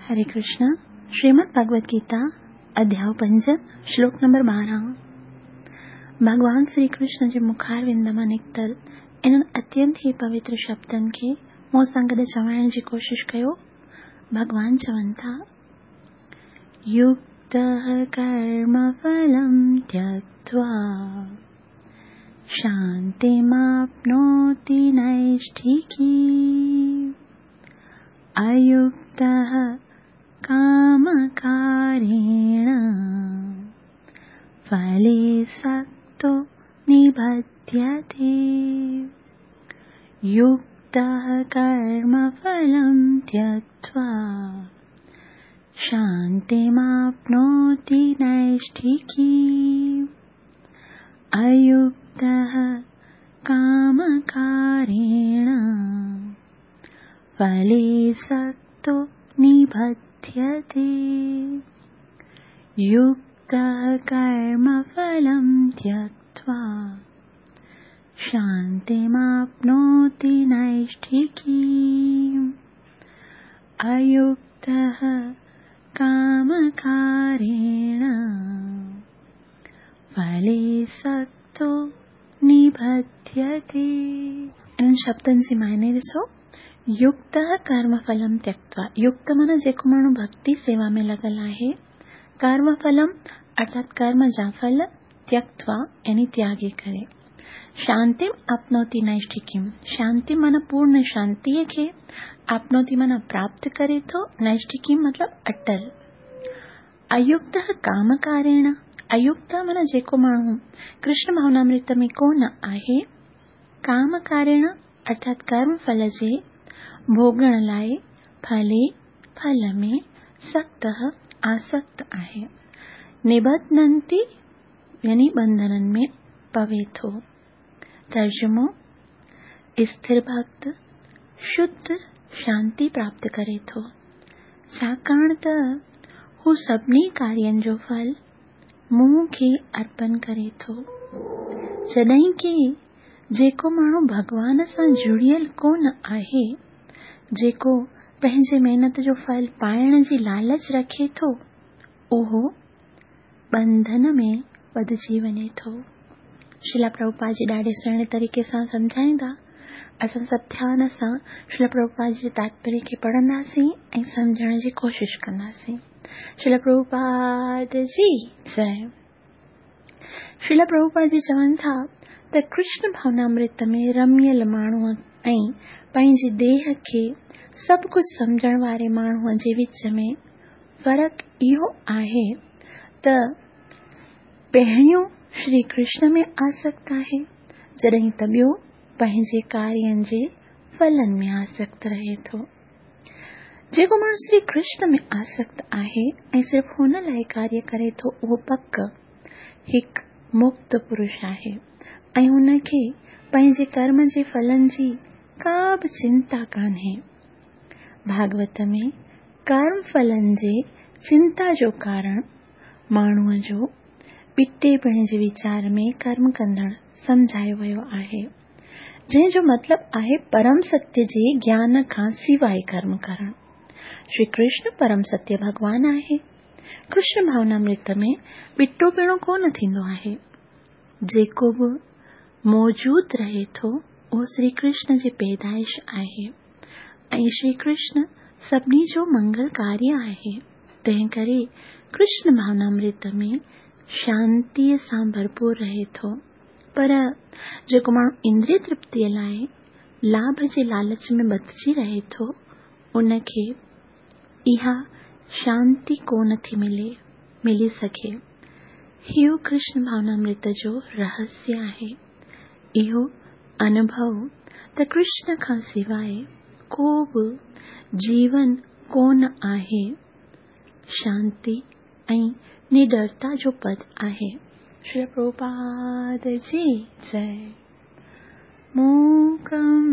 हरे कृष्ण। श्रीमद् भगवद गीता अध्याय 5 श्लोक नंबर 12। भॻवान श्री कृष्ण जे मुखारविंद मां निकितल इन्हनि अत्यंत ई पवित्र शब्दनि खे मूं सां गॾु चवाइण जी कोशिश कयो। भॻवान चवनि था, युक्तः कर्मफलं त्यक्त्वा शान्तिमाप्नोति नैष्ठिकी, अयुक्तः कामकारेण फले सक्तो निबध्यते। युक्तः कर्मफलं त्यक्त्वा शान्तिमाप्नोति नैष्ठिकी, अयुक्तः कामकारेण फले सक्तो निबध्यते। युक्तः कर्मफलं त्यक्त्वा शान्तिमाप्नोति नैष्ठिकी, अयुक्तः कामकारेण फले सक्तो निबध्यते। इन्हनि शब्दनि जी मायने ॾिसो, युक्त कर्मफलम त्यक्त्वा। युक्त माना जेको माण्हू भक्ति सेवा में लॻल आहे, कर्मफलम अर्थात कर्म जा फल, त्यक्त्वा यानी त्यागे करे, शांतिम आपनोति नैष्ठिकीम, शांति माना पूर्ण शांतीअ खे, आपनोति माना प्राप्त करे थो, नैष्ठिकीम मतलब अटल। अयुक्त कामकारेण, अयुक्त माना जेको माण्हू कृष्ण भावनामृत में कोन आहे, कामकारेण अर्थात कर्म फल जे भोगण लाइ फले फल में सख्त आसक्त आहे, निबध्नन्ति यानी बंधननि में पवे थो। तर्जुमो, स्थिर भक्त शुद्ध शांति प्राप्त करे थो, छाकाणि त हू सभिनी कार्यनि जो फल मूं खे अर्पण करे थो। जॾहिं की जेको माण्हू भॻवान सां जुड़ियल कोन आहे, जेको पंहिंजे महिनत जो फल पाइण जी लालच रखे थो, उहो बंधन में बधिजी वञे थो। श्रील प्रभुपाद जी ॾाढे सुहिणे तरीक़े सां सम्झाईंदा। असां सभु ध्यान सां श्रील प्रभुपाद जी तात्पर्य खे पढ़ंदासीं ऐं सम्झण जी कोशिश कंदासीं। श्रील प्रभुपाद जी जय। श्रील प्रभुपाद जी चवनि था त कृष्ण भावनामृत में रमियल माण्हूअ ऐं पंहिंजे देह खे सभु कुझु सम्झण वारे माण्हूअ जे विच में फ़र्क़ु इहो आहे त पहिरियों श्री कृष्ण में आसक्त आहे, जॾहिं त ॿियो पंहिंजे कार्यनि जे फलनि में आसक्त रहे थो। जेको माण्हू श्री कृष्ण में आसक्त आहे ऐं सिर्फ़ु हुन लाइ कार्य करे थो, उहो पक हिकु मुक्त पुरुष आहे ऐं हुनखे पंहिंजे कर्म जे फलनि जी का बि चिंता कान्हे। भागवत में कर्म फलनि जे चिंता जो कारण माण्हूअ जो ॿिटेपणे जे वीचार में कर्म कंदड़ सम्झायो वियो आहे, जंहिंजो मतिलबु आहे परम सत्य जे ज्ञान खां सिवाइ कर्म करणु। श्री कृष्ण परम सत्य भॻवान आहे। कृष्ण भावनामृत में ॿिटो पिणो कोन थींदो आहे। जेको बि मौजूद रहे थो उहो श्री कृष्ण जी पैदाइश आहे ऐं श्री कृष्ण सभिनी जो मंगल कार्य आहे। तंहिं करे कृष्ण भावनामृत में शांतीअ सां भरपूर रहे थो। पर जेको माण्हू इंद्रिय तृप्तीअ लाइ लाभ जे लालच में बधिजी रहे थो, उनखे इहा शांति कोन थी मिली सघे। इहो कृष्ण भावनामृत जो रहस्य आहे। इहो अनुभव त कृष्ण खां सिवाइ को बि जीवन कोन आहे, शांति ऐं निडरता जो पद आहे। श्री प्रभुपाद जी जय। मूकं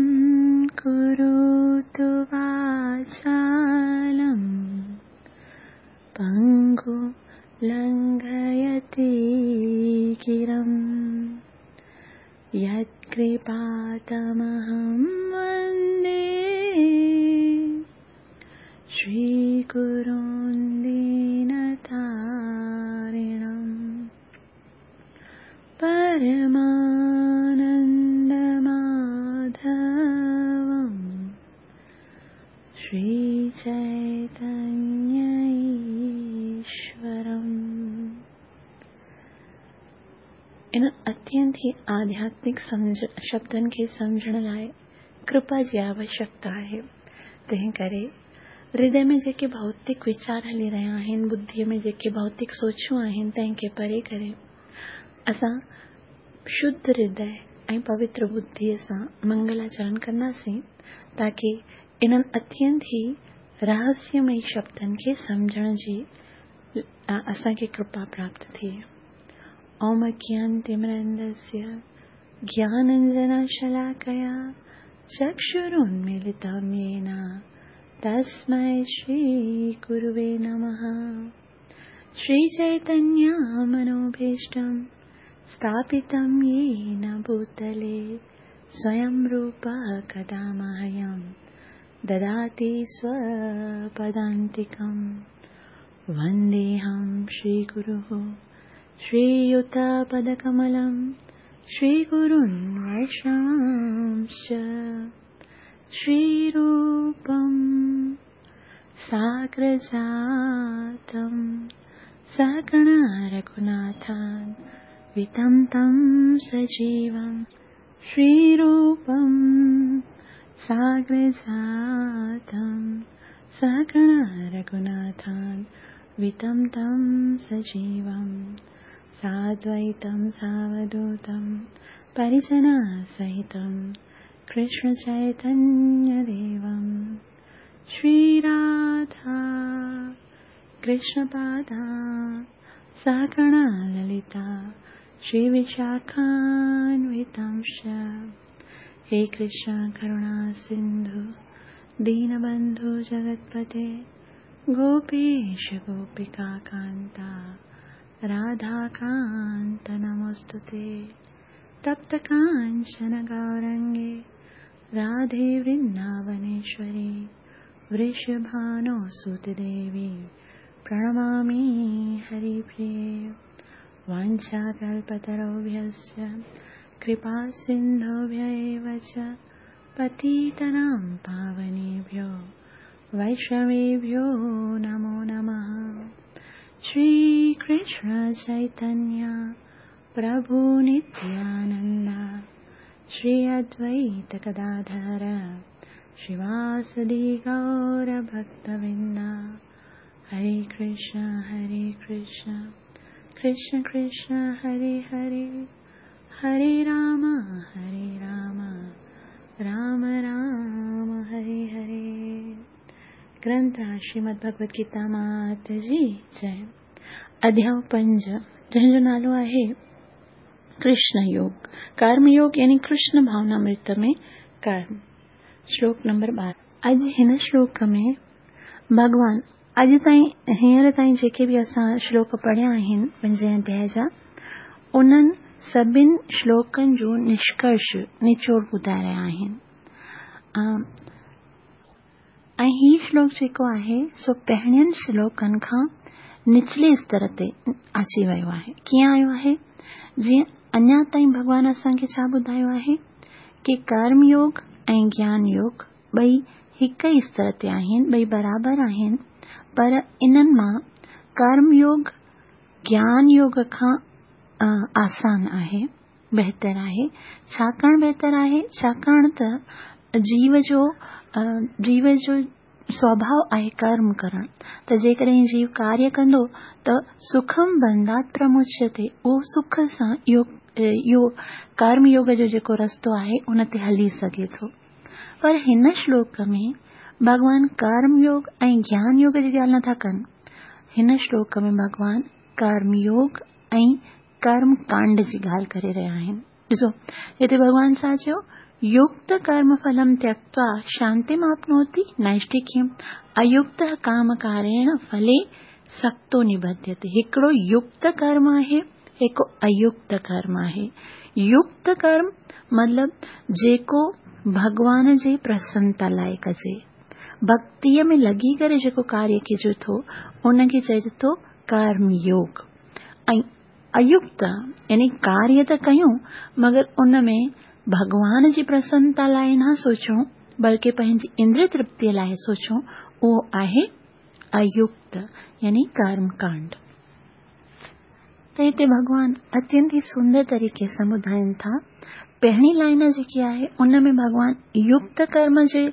करोतु वाचालं पङ्गुं लङ्घयते गिरिं, यत्कृपातमहं वन्दे श्री श्रीगुरुं दीनतारिणम् परमानन्दमाधवं श्रीचैतन्य ईश्वरम्। इन अत्यंत ई आध्यात्मिक शब्दनि खे सम्झण लाइ कृपा जी आवश्यकता आहे। तंहिं करे हृदय में जेके भौतिक वीचार हली रहिया आहिनि, बुद्धीअ में जेके भौतिक सोचूं आहिनि, तंहिंखे परे करे असां शुद्ध हृदय ऐं पवित्र बुद्धीअ सां मंगलाचरण कंदासीं, ताकी इन्हनि अत्यंत ई रहस्यमयी शब्दनि खे सम्झण जी असांखे कृपा प्राप्त थिए। ॐ अज्ञानतिमिरान्धस्य ज्ञानाञ्जनशलाकया चक्षुरुन्मीलितं येन तस्मै श्रीगुरुवे नमः। श्रीचैतन्यमनोभीष्टं स्थापितं येन भूतले स्वयं रूपः कदा मह्यं ददाति स्वपदान्तिकं। वन्देऽहं श्रीगुरुः श्रीयुतपदकमलं श्रीगुरुन् वैष्णवांश्च श्रीरूपं साग्रजातं सहगणा रघुनाथान् वितं तं सजीवं। श्रीरूपं साग्रजातं सहगणा रघुनाथान् वितं तं सजीवं। साद्वैतं सावधूतं परिजनसहितं कृष्णचैतन्यदेवं। श्रीराधा कृष्णपादा सहगणा ललिता श्रीविशाखान्वितांश्च। हे कृष्ण करुणा सिन्धु दीनबन्धु जगत्पते गोपेश गोपिका कान्ता राधाकान्त नमोऽस्तु ते। तप्तकाञ्चन गौरङ्गे राधे वृन्दावनेश्वरी वृषभानुसुते देवी प्रणमामि हरिप्रिये। वाञ्छाकल्पतरुभ्यश्च कृपासिन्धुभ्य एव च पतितानां पावनेभ्यो वैष्णवेभ्यो नमो नमः। श्रीकृष्ण चैतन्य प्रभु नित्यानन्द श्री अद्वैत गदाधर श्रीवासदि गौरभक्तवृन्द। हरे कृष्ण हरे कृष्ण कृष्ण कृष्ण हरे हरे, हरे राम हरे राम राम राम हरे हरे। ग्रंथ श्रीमद् भगवद गीता मात जी जय। अध्याय 5 जंहिंजो नालो आहे कृष्ण योग, कर्म योग यानी कृष्ण भावनामृत में कर्म। श्लोक नंबर 12। अॼु हिन श्लोक में भॻवान अॼु ताईं हींअर ताईं जेके बि असां श्लोक पढ़िया आहिनि पंजे अध्याय जा, उन्हनि सभिनि श्लोकनि जो निष्कर्ष निचोड़ ॿुधाए रहिया आहिनि। ऐं हीउ श्लोक जेको आहे सो पहिरियनि श्लोकनि खां निचले स्तर ते अची वियो आहे। कीअं आयो आहे? जीअं अञा ताईं भॻवान असांखे छा ॿुधायो आहे की कर्म योग ऐं ज्ञान योग ॿई हिक ई स्तर ते आहिनि, ॿई बराबरि आहिनि, पर इन्हनि मां कर्म योग ज्ञान योग खां आसान आहे, बहितर आहे। छाकाणि बहितर आहे? छाकाणि त जीव जो स्वभाव आहे कर्म करणु, त जेकॾहिं जीव कार्य कंदो त सुखम बंधात् प्रमुच्यते, उहो सुख सां इहो कर्म योग जो जेको रस्तो आहे उन ते हली सघे थो। पर हिन श्लोक में भॻवान कर्म योग ऐं ज्ञान योग जी ॻाल्हि नथा कनि। हिन श्लोक में भॻवान कर्म योग ऐं कर्म कांड जी ॻाल्हि करे रहिया आहिनि। ॾिसो हिते भॻवान छा चयो? युक्त कर्म फलम त्यक्त्वा शांतिमाप्नोति नैष्ठिक्यम् अयुक्त कामकारेण फले सक्तो निबध्यते। हिकिड़ो युक्त कर्म आहे, हिकु अयुक्त कर्म आहे। युक्त कर्म मतलब जेको भॻवान जी प्रसन्नता लाइ कजे, ڀڳتيء ۾ لڳي ڪري جيڪو ڪاريه ڪجي ٿو، ان کي چئجي ٿو ڪرم يوگ. ۽ ايڪت يعني ڪاريه ته ڪيون مگر ان ۾ ڀڳوان جي پرسنتا لاء نه سوچون بلڪه پنهنجي اندري ترپتيء لاء سوچون، اهو آهي ايڪت يعني ڪرم ڪانڊ. ته هتي ڀڳوان اتينت ئي سندر طريقي سان ٻڌائين ٿا. پهرين لائن جيڪي آهي ان ۾ ڀڳوان يڪت ڪرم جي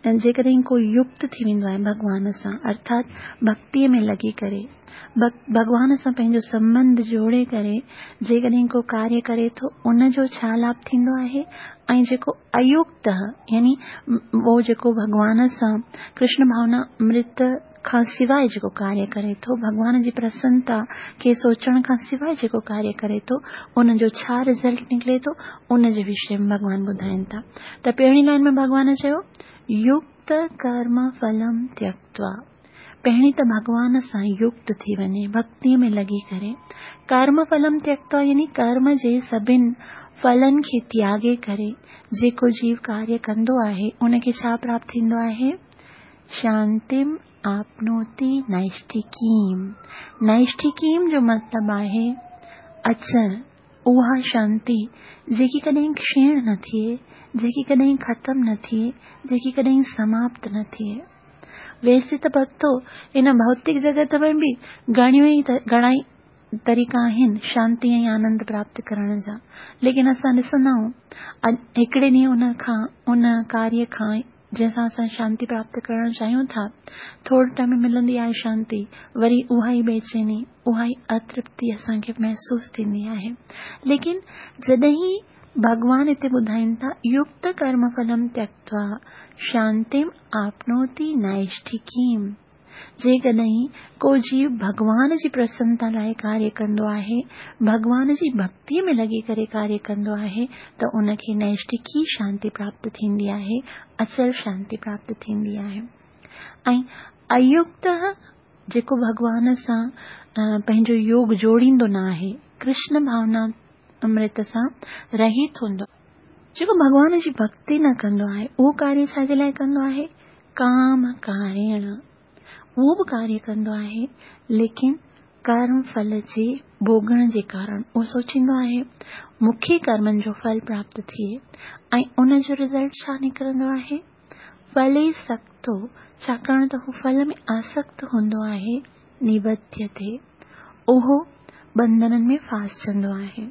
جيڪڏهن ڪو يڪت ٿي ويندو آهي ڀڳوان سان ارٿات ڀڳتيء ۾ لڳي ڪري ڀڳوان سان پنهنجو سنٻنڌ جوڙي ڪري جيڪڏهن ڪو ڪاريه ڪري ٿو ان جو ڇا لاڀ ٿيندو آهي ۽ جيڪو ايڪت يعني اهو جيڪو ڀڳوان سان ڪرشن ڀاونا امرت کان سواء جيڪو ڪاريه ڪري ٿو، ڀڳوان جي پرسنتا کي سوچڻ کان سواء جيڪو ڪاريه ڪري ٿو، ان جو ڇا رزلٽ نڪري ٿو، ان جي وشي ۾ ڀڳوان ٻڌائين ٿا. ته پهرين لائن ۾ ڀڳوان چيو، يڪت ڪرم ڦلم تيڪتوا، پهرين ته ڀڳوان سان يڪت ٿي وڃي، ڀڳتيء ۾ لڳي ڪري، ڪرم ڦلم تيڪتوا يعني ڪرم جي سڀن ڦلن کي تياڳي ڪري جيڪو جيو ڪاريه ڪندو آهي، ان کي ڇا پراپت ٿيندو آهي؟ شانتم آپنوتي نائشٺڪيم، نائشٺڪيم جو مطلب آهي اچڻ، اها شانتي جيڪي ڪڏهن ڪشيڻ نه ٿئي، جيڪي ڪڏهن ختم نه ٿئي، جيڪي ڪڏهن سماپت نه ٿئي. ويسي ته ڀڳتو هن ڀوتڪ جڳت ۾ به گهڻيون ئي گهڻا ئي طريقا آهن شانتي ۽ آنند پراپت ڪرڻ جا، ليڪن اسان ڏسندا آهيون هڪڙي ڏينهن ان کان ان ڪاريه کان جنهن سان اسان شانتي پراپت ڪرڻ چاهيون ٿا، ٿوري ٽائيم ۾ ملندي آهي شانتي، وري اها ئي بيچيني، اها ئي اترپتي اسان کي محسوس ٿيندي آهي. ليڪن جڏهن ڀڳوان هتي ٻڌائين ٿا، يڪت ڪرم ڦلم تيڪتوا شانتيم آپنوتي نائشٺڪيم. جيڪڏهن ڪو جيو ڀڳوان جي پرسنتا لاء ڪاريه ڪندو آهي، ڀڳوان جي ڀڳتيء ۾ لڳي ڪري ڪاريه ڪندو آهي ته ان کي نئشٺڪي شانتي پراپت ٿيندي آهي، اچل شانتي پراپت ٿيندي آهي. ۽ ايڪت جيڪو ڀڳوان سان پنهنجو يوگ جوڙيندو نه آهي، ڪرشن ڀاونا امرت سان رهت هوندو آهي، جيڪو ڀڳوان جي ڀڳتي نه ڪندو آهي، اهو ڪاريه ڇا جي لاء ڪندو آهي؟ ڪام ڪاريڻ. اهو به ڪاريه ڪندو آهي، ليڪن ڪرم ڦل جي ڀوڳڻ جي ڪارڻ اهو سوچيندو آهي، مون کي ڪرمن جو ڦل پراپت ٿئي ۽ ان جو رزلٽ ڇا نڪرندو آهي؟ ڦلي سڪتو، ڇاڪاڻ ته هو ڦل ۾ آسڪت هوندو آهي، نبڌيتي، اهو ٻنڌنن ۾ ڦاسجندو آهي.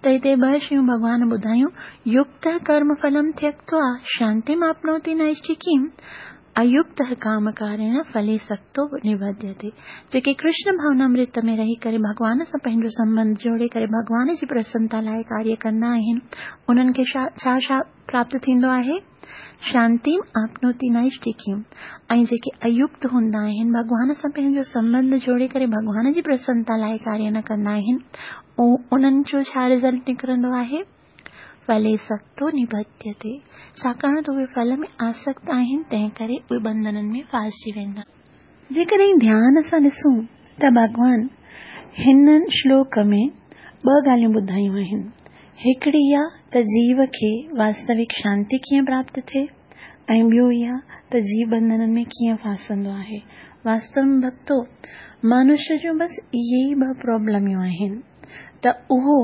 ته هتي ٻه شيون ڀڳوان ٻڌايون، يڪت ڪرم ڦلم تيڪتوا شانتيم آپنوتي نائشٺڪيم، ايڪت ڪام ڪاريڻ ڦلي سڪتو نبڌيتي. جيڪي ڪرشن ڀاونامرت ۾ رهي ڪري ڀڳوان سان پنهنجو سنٻنڌ جوڙي ڪري ڀڳوان جي پرسنتا لاء ڪاريه ڪندا آهن، انهن کي ڇا ڇا پراپت ٿيندو آهي؟ شانتيم آپنوتي نائشٺڪيم ۽ جيڪي ايڪت هوندا آهن، ڀڳوان سان پنهنجو سنٻنڌ جوڙي ڪري ڀڳوان جي پرسنتا لاء ڪاريه نه ڪندا آهن، انهن جو ڇا رزلٽ نڪرندو آهي؟ ڦلي سڪتو نبڌيتي، ڇاڪاڻ ته اهي ڦل ۾ آسڪت آهن، تنهن ڪري اهي ٻنڌنن ۾ ڦاسجي ويندا. جيڪڏهن ڌيان سان ڏسون ته ڀڳوان هن شلوڪ ۾ ٻه ڳالهيون ٻڌايون آهن. هڪڙي اها ته جيو کي واستوڪ شانتي ڪيئن پراپت ٿئي ۽ ٻيو اها ته جيو ٻنڌنن ۾ ڪيئن ڦاسندو آهي. واستو ۾ ڀڳتو، منش جون بس اهي ئي ٻه پرابلميون آهن ته اهو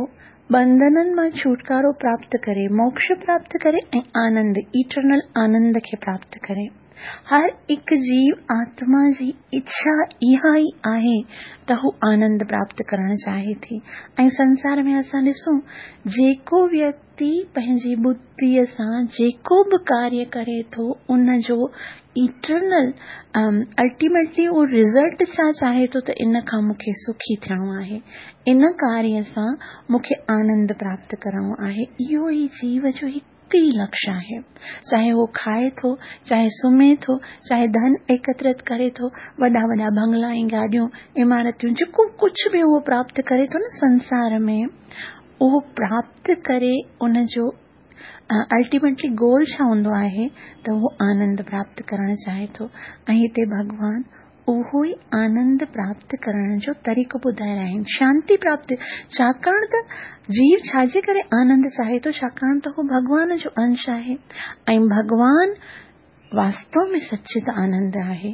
ٻنڌنن مان ڇوٽڪارو پراپت ڪري، موڪش پراپت ڪري ۽ آنند، Eternal آنند، کي پراپت ڪري. هر هڪ جيو آتما جي اڇا اها ئي آهي ته هو آنند پراپت ڪرڻ چاهي ٿي ۽ سنسار ۾ اسان ڏسون جيڪو ويڪتي پنهنجي ٻڌيء سان جيڪو به ڪاريه ڪري ٿو ان جو ايٽرنل الٽيميٽلي اهو رزلٽ ڇا چاهي ٿو ته ان کان مون کي سکي ٿيڻو آهي ان ڪاريه سان مون کي آنند پراپت ڪرڻو آهي اهو ئي جيو جو هڪ هڪ ئي لڪش آهي. چاهي هو کائي ٿو، چاهي سمهي ٿو، چاهي ڌن ايڪترت ڪري ٿو، وڏا وڏا بنگلا ۽ گاڏيون، عمارتيون جيڪو ڪجهه به اهو پراپت ڪري ٿو نه سنسار ۾ اهو پراپت ڪري ان جو الٽيميٽلي گول ڇا هوندو آهي ته اهو آنند پراپت ڪرڻ چاهي ٿو ۽ هتي ڀڳوان اهو ئي آنند پراپت ڪرڻ جو طريقو ٻڌائي رهيا آهن. شانتي پراپت، ڇاڪاڻ ته جيو ڇا جي ڪري آنند چاهي ٿو؟ ڇاڪاڻ ته هو ڀڳوان جو انش آهي ۽ ڀڳوان واستو ۾ سچت آنند آهي،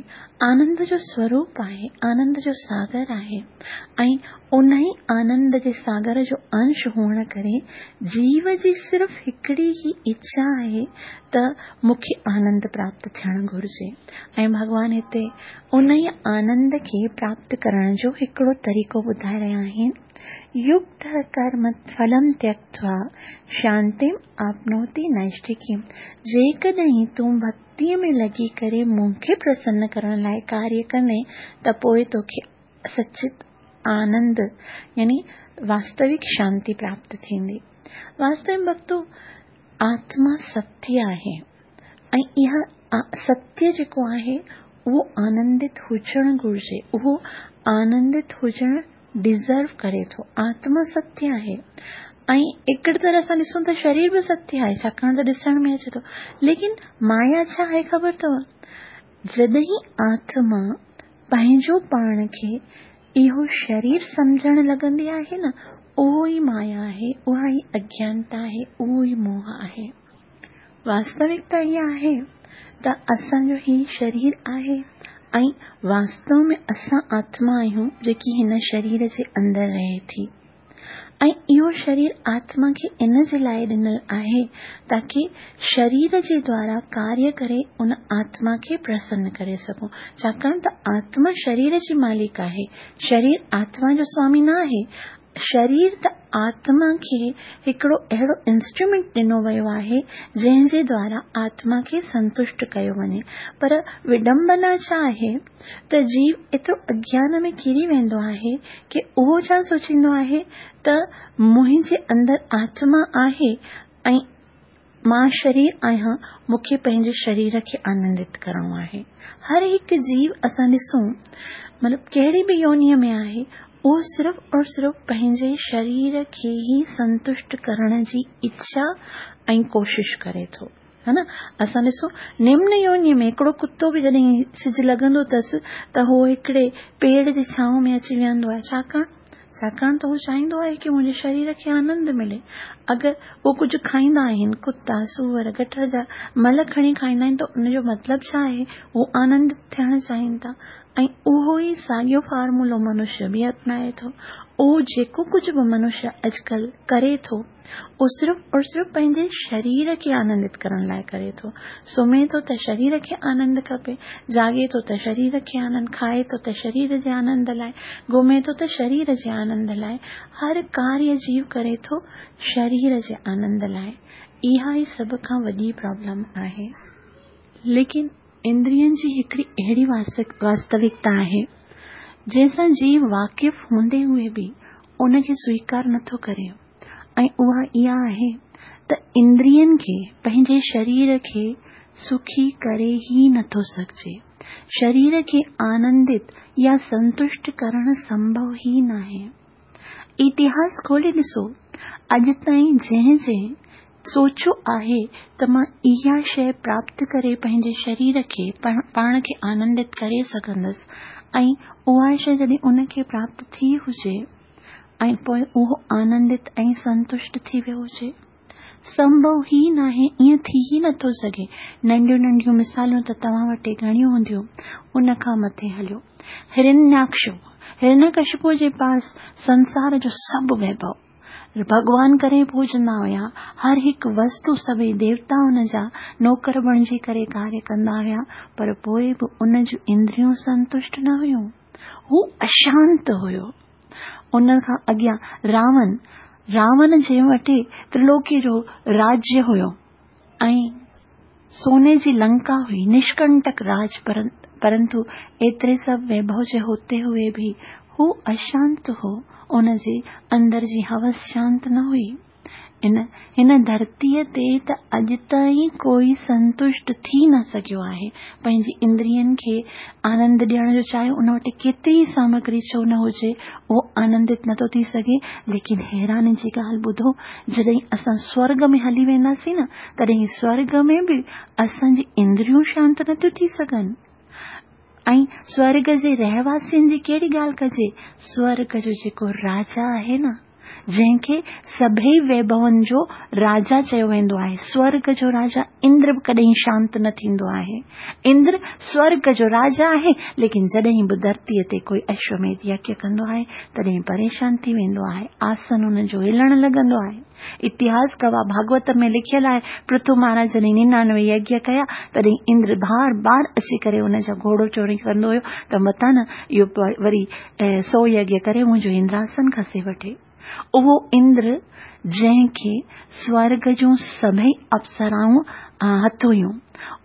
آنند جو سوروپ آهي، آنند جو ساگر آهي ۽ انهي آنند جي ساگر جو انش هئڻ ڪري جيو جي صرف هڪڙي ئي اڇا آهي ته مون کي آنند پراپت ٿيڻ گهرجي ۽ ڀڳوان هتي انهي آنند کي پراپت ڪرڻ جو هڪڙو طريقو ٻڌائي رهيا آهن. يڪت ڪرم ڦلم تيڪتوا شانتيم آپنوتي نئشٺڪيم جيڪڏهن تون ڀڳتيء ۾ لڳي ڪري مون کي پرسن ڪرڻ لاء ڪاريه ڪندين ته پوء توکي سچت آنند يعني واستوڪ شانتي پراپت ٿيندي. واستو ۾ ڀڳتو آتما ستيه آهي ۽ اها ستيه جيڪو آهي اهو آنندت هجڻ گهرجي اهو آنندت هجڻ ڊزرو ڪري ٿو. آتما ستيه آهي ۽ هڪڙي طرح سان ڏسون ته شرير به ستيه آهي ڇاڪاڻ ته ڏسڻ ۾ اچي ٿو. ليڪن مايا ڇا آهي خبر اٿو؟ جڏهن آتما پنهنجو پاڻ کي اهو شرير سمجهڻ لڳندي آهي نه اهو ئي مايا آهي، اها ئي اگيانتا آهي، اهو ئي موهه آهي. واستوڪتا اها آهي ته اسان جو هي شرير آهي ۽ واستو ۾ اسان آتما آهيون جيڪي هن شرير جي اندر رهي ٿي ۽ اهو شرير آتما کي ان جي لاء ڏنل آهي تاڪي شرير جي دوارا ڪاريه ڪري ان آتما کي پرسن ڪري سگهون ڇاڪاڻ ته آتما شرير جي مالڪ آهي شرير آتما جو سوامي نه آهي شرير ته آتما کي هڪڙو اهڙو انسٽرومينٽ ڏنو ويو آهي، جنهن جي دوارا آتما کي سنتشٽ ڪيو وڃي. پر وڊمبنا ڇا آهي ته جيو ايترو اگيان ۾ ڪري ويندو آهي ڪي اهو ڇا سوچيندو آهي ته منهنجي اندر آتما آهي ۽ مان شرير آهيان، مون کي پنهنجي شرير کي آنندت ڪرڻو آهي. هر هڪ جيو اسان ڏسون مطلب ڪهڙي به يونيء ۾ آهي، اهو صرف اور صرف پنهنجي شرير کي ئي سنتشٽ ڪرڻ جي اڇا ۽ ڪوشش ڪري ٿو. ها نه؟ اسان ڏسون نمن يونيء ۾ هڪڙو ڪتو به جڏهن سج لڳندو اٿس ته هو هڪڙي پيڙ جي ڇانو ۾ اچي ويهندو آهي، ڇاڪاڻ؟ ڇاڪاڻ ته هو چاهيندو آهي ڪي منهنجي شرير کي آنند ملي. اگر هو ڪجهه کائيندا آهن، ڪتا، سوئر، گٽر جا مل کڻي کائيندا آهن ته ان جو مطلب ڇا آهي؟ هو آنندت ٿيڻ چاهين ٿا ۽ اهو ئي ساڳيو فارمولو منشيه به اپنائي ٿو. اهو جيڪو ڪجهه به منشيه اڄڪلهه ڪري ٿو، اهو صرف اور صرف پنهنجي شرير کي آنندت ڪرڻ لاء ڪري ٿو. سمهي ٿو ته شرير کي آنند کپي، جاڳي ٿو ته شرير کي آنند، کائي ٿو ته شرير جي آنند لاء، گهمي ٿو ته شرير جي آنند لاء، هر ڪاريه جيو ڪري ٿو شرير جي آنند لاء. اها ئي سڀ کان وڏي پرابلم آهي. ليڪن اندرين جي هڪڙي اهڙي واستوڪتا آهي، جنهن سان جيو واقف هوندي هوئي به ان کي سويڪار نٿو ڪري ۽ اها اها آهي ته اندرين کي پنهنجي شرير کي سکي ڪري ئي نٿو سگهجي. شرير کي آنندت يا سنتشٽ ڪرڻ سنڀو ئي ناهي. اتهاس کولي ڏسو، اڄ تائين جنهن جنهن سوچيو آهي ته مان اها شيء پراپت ڪري پنهنجي شرير کي، پاڻ کي آنندت ڪري سگهندس ۽ اها شيء جڏهن ان کي پراپت ٿي هجي ۽ پوء اهو آنندت ۽ سنتشٽ ٿي ويو هجي. سنڀو ئي ناهي، ائين ٿي ئي نٿو سگهي. ننڍيون ننڍيون مثالون ته توهان وٽ گهڻيون هونديون، ان کان مٿي هليو. هرنياڪش، هرنياڪشپو جي پاس سنسار جو سڀ ويڀو. ڀڳوان ڪري پوڄندا هيا، هر هڪ وستو سڀئي ديوتا ان جا نوڪر بڻجي ڪري ڪاريه ڪندا هيا، پر پوء به ان جون اندريون سنتشٽ نه هيون. هو اشانت هيو. ان کان اڳيان راون، راون جي وٽ ترلوڪيء جو راجيه هيو ۽ سوني جي لنڪا هئي، نشڪنٽڪ راج، پرنتو ايتري سڀ ويڀو جي هوتي هوئي به هو اشانت هو، ان جي اندر جي هوس شانت نه هئي. ان هن ڌرتيء تي ته اڄ تائين ڪوئي سنتشٽ ٿي نه سگهيو آهي. پنهنجي اندرين کي آنند ڏيڻ جو چاهي ان وٽ ڪيتري ئي سامگري ڇو نه هجي، اهو آنندت نه ٿو ٿي سگهي. ليڪن حيراني جي ڳالهه ٻڌو، جڏهن اسان سورڳ ۾ هلي وينداسين نه، تڏهن سورڳ ۾ به اسان جي اندريون شانت نه ٿيون ٿي سگهن. ۽ سورڳ جي رهواسين جي ڪهڙي ڳالهه ڪجي، سورڳ جو جيڪو راجا آهي نه، جنهن کي سڀئي ويڀون جو راجا چيو ويندو آهي. سورڳ جو راجا اندر به ڪڏهن شانت نه ٿيندو آهي. اندر سورڳ جو راجا آهي، ليڪن جڏهن به ڌرتيء تي ڪوئي اشوميڌ يگيه ڪندو آهي، تڏهن پريشان ٿي ويندو آهي. آسن ان جو هلڻ لڳندو آهي. اتهاس گواهه ڀاڳوت ۾ لکيل آهي، پرٿو مهاراج جڏهن ننانوي يگيه ڪيا، تڏهن اندر بار بار اچي ڪري ان جا گهوڙو چوري ڪندو هيو ته متان نه اهو وري سو يگيه ڪري منهنجو اندراسن کسي وٺي. اهو اندر جنهن کي سورڳ جون سڀئي اپسرائون هٿ هيون،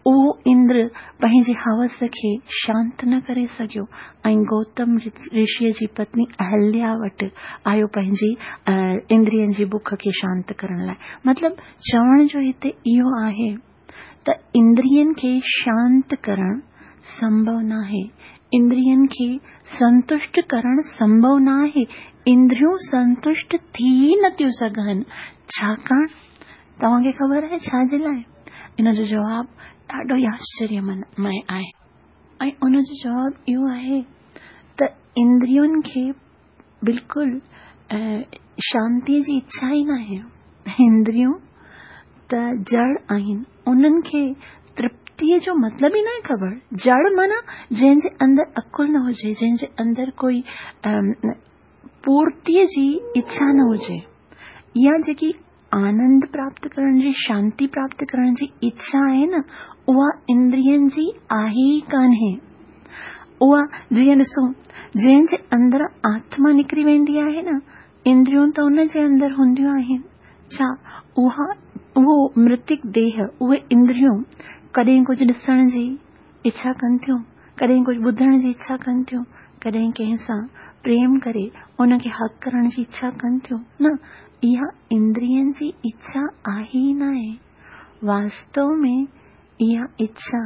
اهو اندر پنهنجي هوس کي شانت نه ڪري سگهيو ۽ گوتم رشيء جي پتني اهليا وٽ آيو پنهنجي اندرين جي بک کي شانت ڪرڻ لاء. مطلب چوڻ جو هتي اهو آهي ته اندرين کي شانت ڪرڻ سنڀو ناهي، اندرين کي سنتشٽ ڪرڻ سنڀو ناهي، اندريون سنتشٽ ٿي ئي نٿيون سگهن. ڇاڪاڻ؟ توهان کي خبر آهي ڇا جي لاء؟ ان جو جواب ڏاڍو ئي آشچريمي آهي. ۽ ان جو جواب اهو آهي ته اندرين کي بلڪل شانتيء جي اڇا ئي ناهي. اندريون ته جڙ آهن، انهن کي ترپتيء جو مطلب ئي ناهي خبر. جڙ معنيٰ جنهن جي اندر عقل نه هجي، جنهن جي اندر ڪوئي پورتيء جي اڇا نه هجي. اها جيڪي آنند پراپت ڪرڻ جي، شانتي پراپت ڪرڻ جي اڇا آهي نه، اها اندرين جي آهي ئي ڪانهي. اها جيئن ڏسو، جنهن جي اندر آتما نڪري ويندي آهي نه، اندريون ته ان جي اندر هونديون آهن. ڇا اها، اهو مرتڪ ديهه، اهي اندريون ڪڏهن ڪجهه ڏسڻ جي اڇا ڪن ٿيون، ڪڏهن ڪجهه ٻڌڻ جي اڇا ڪن ٿيون، ڪڏهن ڪنهن سان پريم ڪري ان کي هگ ڪرڻ جي اڇا ڪن ٿيون. نه، اها اندرين جي اڇا آهي ئي ناهي. واستو ۾ اها اڇا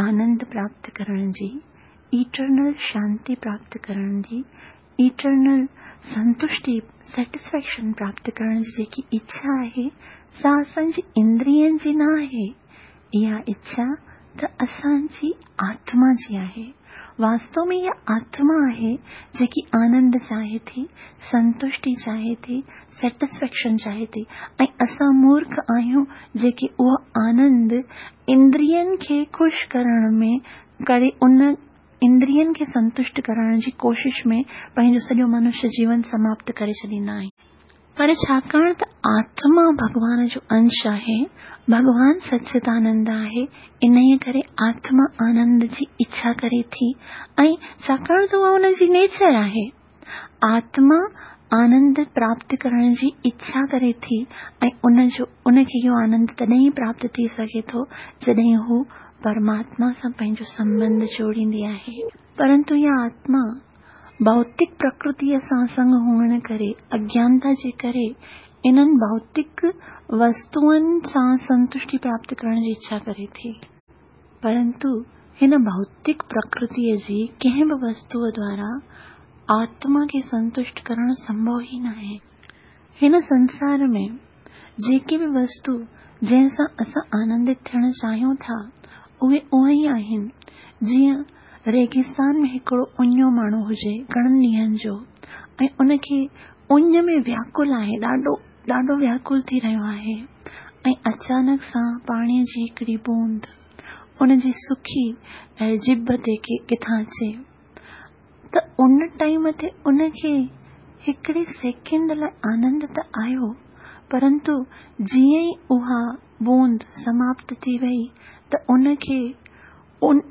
آنند پراپت ڪرڻ جي، ايٽرنل شانتي پراپت ڪرڻ جي، ايٽرنل سنتشٽي، Satisfaction، پراپت ڪرڻ جي جيڪي اڇا آهي، سا اسان جي اندرين جي نه آهي. اها اڇا ته اسان جي آتما جي آهي. واستو ۾ اها آتما آهي جيڪي آنند چاهي ٿي، سنتشٽي چاهي ٿي، Satisfaction چاهي ٿي ۽ اسان مورک آهيون جيڪي اهو آنند اندرين کي خوش ڪرڻ ۾ ڪري ان اندرين کي سنتشٽ ڪرڻ جي ڪوشش ۾ پنهنجو سڄو منشيه جيون سماپت ڪري ڇڏيندا آهيون. پر ڇاڪاڻ ته آتما ڀڳوان جو انش آهي، ڀڳوان سچدانند آهي، انهيء ڪري آتما آنند جي اڇا ڪري ٿي ۽ ڇاڪاڻ ته اها ان جي نيچر آهي. آتما آنند پراپت ڪرڻ جي اڇا ڪري ٿي ۽ ان جو ان کي اهو آنند تڏهن ئي پراپت ٿي سگهي ٿو جڏهن هو پرماتما سان پنهنجو سنٻنڌ جوڙيندي آهي. پرنتو اها آتما ڀوتڪ پرڪرتيء سان سنگ هئڻ ڪري، اگيانتا جي ڪري، انهن ڀوتڪ وستوئن سان سنتشٽي پراپت ڪرڻ جي اڇا ڪري ٿي. پرنتو هن ڀوتڪ پرڪرتيء جي ڪنهن به وستوء دوارا آتما کي سنتشٽ ڪرڻ سنڀو ئي ناهي. هن سنسار ۾ جيڪي به وستو جنهن سان اسان آنندت ٿيڻ چاهيون ٿا، اهي اهي ئي آهن، جيئن ريگستان ۾ هڪڙو اڃيو ماڻهو هجي گهڻن ڏينهن جو ۽ ان کي اڃ ۾ وياڪل آهي، ڏاڍو ڏاڍو وياڪل ٿي رهيو آهي ۽ اچانڪ سان پاڻي جي هڪڙي بوند ان جي سڪي ڄڀ تي ڪٿان اچي ته ان ٽائيم تي ان کي هڪڙي سيڪنڊ لاء آنند ته آيو پرنتو جيئن ئي اها بوند سماپت ٿي وئي ته ان کي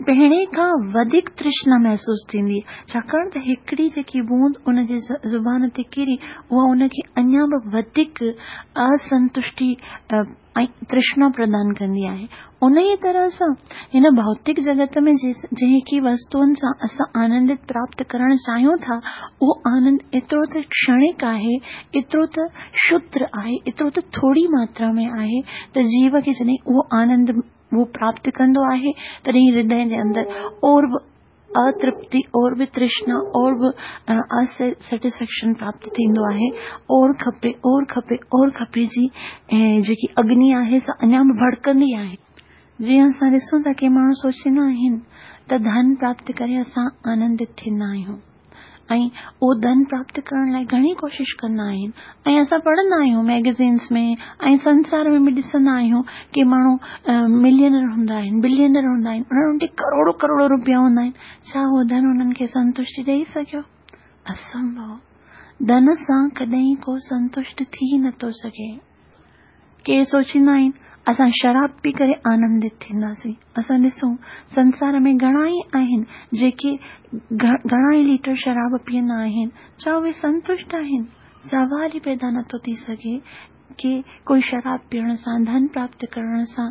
پهرين کان وڌيڪ ترشنا محسوس ٿيندي ڇاڪاڻ ته هڪڙي جيڪي بوند ان جي زبان تي ڪري اها ان کي اڃا به وڌيڪ اسنتشٽي ۽ ترشنا پردان ڪندي آهي. انهيء طرح سان هن ڀوتڪ جڳت ۾ جيڪي وستوئن سان اسان آنندت پراپت ڪرڻ چاهيون ٿا، اهو آنند ايترو ته ڪشڻڪ آهي، ايترو ته شودر آهي، ايترو ته ٿوري ماترا ۾ آهي ته جيو کي جڏهن اهو آنند هو پراپت ڪندو آهي، تڏهن هردي جي اندر اور به اترپتي اور به ترشنا اور به اسيٽسفيڪشن پراپت ٿيندو آهي اور کپي اور کپي اور کپي جي جيڪي اگني آهي سا اڃا به ڀڙڪندي آهي جيئن اسان ڏسون ٿا ڪي ماڻهو سوچيندا آهن ته ڌن پراپت ڪري اسان آنندت ٿيندا آهيون ۽ اهو ڌن پراپت ڪرڻ لاء گهڻي ڪوشش ڪندا آهن ۽ اسان پڙهندا آهيون ميگزينس ۾ ۽ سنسار ۾ به ڏسندا آهيون ڪي ماڻهو ملينر هوندا آهن بلينر هوندا آهن انهن وٽ ڪروڙو ڪروڙو روپيا هوندا آهن ڇا اهو ڌن انهن کي سنتشٽي ڏئي سگهيو؟ اسنڀو. ڌن سان ڪڏهن ڪو سنتشٽ ٿي نٿو سگهي. ڪي سوچيندا آهن اسان شراب پي ڪري آنندت ٿينداسين. اسان ڏسون سنسار ۾ گهڻا ئي آهن جيڪي گهڻا ئي ليٽر شراب پيئندا آهن ڇا اهي سنتشٽ آهن؟ سوال ئي پيدا نٿو ٿي سگهي ڪي ڪوئي شراب پيئڻ سان ڌن پراپت ڪرڻ سان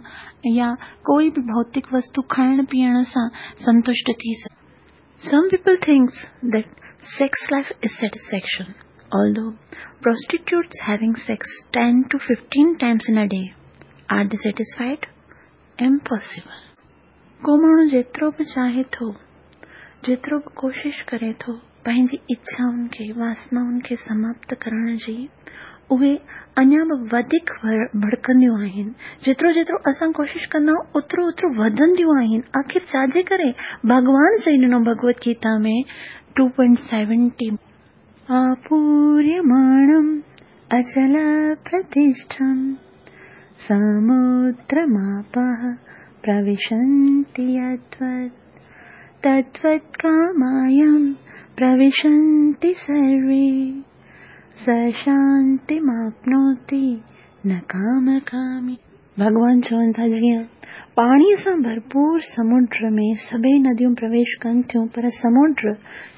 يا ڪوئي به ڀوتڪ وستو کائڻ پيئڻ سان سنتشٽ ٿي سگهي. Some people thinks that sex life is satisfaction although prostitutes having sex 10 to 15 times in a day are they satisfied? Impossible. ڪو ماڻهو جيترو به چاهي ٿو، جيترو به ڪوشش ڪري ٿو پنهنجي اڇائن کي، واسنائن کي سماپت ڪرڻ جي، اهي اڃا به وڌيڪ ڀڙڪنديون آهن. جيترو جيترو اسان ڪوشش ڪندا آهيون اوترو اوترو وڌنديون آهن. آخر ڇا جي ڪري؟ ڀڳوان چئي ڏنو ڀڳوت گيتا ۾ 2.70. آپوريماڻم اچلپرتشٺم سمودرماپः پروشنتي يدوت تدوت ڪامايم پروشنتي سروي. س شانتيماپنوتي نه ڪامڪامي. ڀڳوان چون ٿا جيئن پاڻيء سان ڀرپور سمنڊ ۾ سڀئي نديون پرويش ڪن ٿيون پر سمنڊ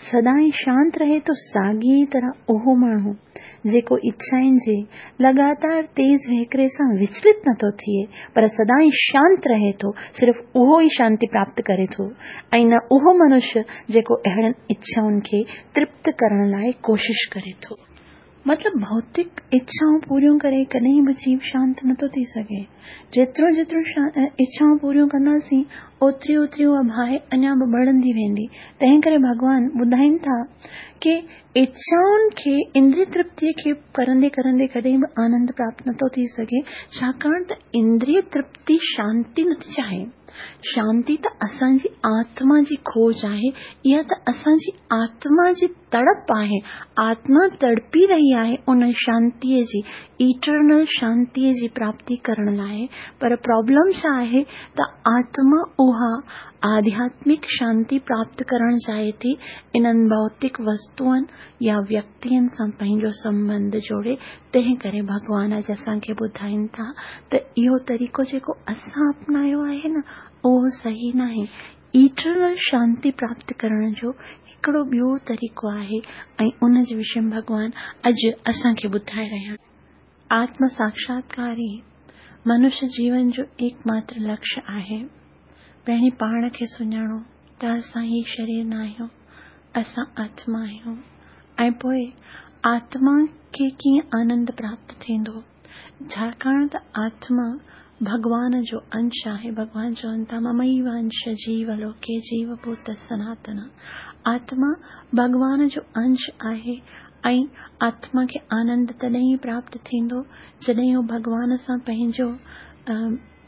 سدائين شانت رهي ٿو ساڳيء طرح اهو ماڻهو جيڪو اڇائن جي لڳاتار تيز وهڪري سان وچلت نٿو ٿئي پر سدائين شانت رهي ٿو صرف اهو ئي شانتي پراپت ڪري ٿو ۽ نه اهو منشيه جيڪو اهڙن اڇائن کي ترپت ڪرڻ لاء ڪوشش ڪري ٿو. مطلب ڀوتڪ اڇائون پوريون ڪري ڪڏهن به جيو شانت نٿو ٿي سگهي. جيترو جيترو اڇائون پوريون ڪنداسين اوتري اوتري اها باهه اڃا به ٻرندي ويندي. تنهن ڪري ڀڳوان ٻڌائين ٿا ڪي اڇائن کي اندري ترپتيء کي ڪرندي ڪرندي ڪڏهن به آنند پراپت نٿو ٿي سگهي ڇاڪاڻ ته اندري ترپتي شانتي نٿي چاهي. شانتي ته اسان جي آتما جي کوج آهي، اها ته اسان جي آتما جي تڙپ آهي، آتما تڙپي رهي آهي ان شانتيء جي، Eternal شانتيء جي پراپتي ڪرڻ لاء، پر پرابلم ڇا آهي ته آتما اها آڌياتمڪ شانتي پراپت ڪرڻ چاهي ٿي انهن ڀوتڪ وستوئن يا ويڪتين سان پنهنجو سنٻنڌ جوڙي، تنهن ڪري ڀڳوان اڄ اسان کي ٻڌائين ٿا ته اهو طريقو جيڪو اسان اپنايو آهي نه اهو صحيح ناهي. ايٽرنل شانتي پراپت ڪرڻ جو هڪڙو ٻيو طريقو آهي ۽ ان جي وشي ۾ ڀڳوان اڄ اسان کي ٻڌائي رهيا آهن. آتم ساڪشاتڪار ئي منش جيون جو ايڪ ماتر لڪش آهي. پهرين پاڻ کي سڃاڻو ته اسان هي شرير ناهيون، اسان آتما آهيون ۽ پوء آتما کي ڪيئن آنند پراپت ٿيندو؟ ڇاڪاڻ ته آتما ڀڳوان جو انش آهي. ڀڳوان چون ٿا مميوانش جيو لوڪي جيو ڀوت سناتن. آتما ڀڳوان جو انش آهي ۽ آتما کي آنند تڏهن ئي پراپت ٿيندو جڏهن هو ڀڳوان سان پنهنجو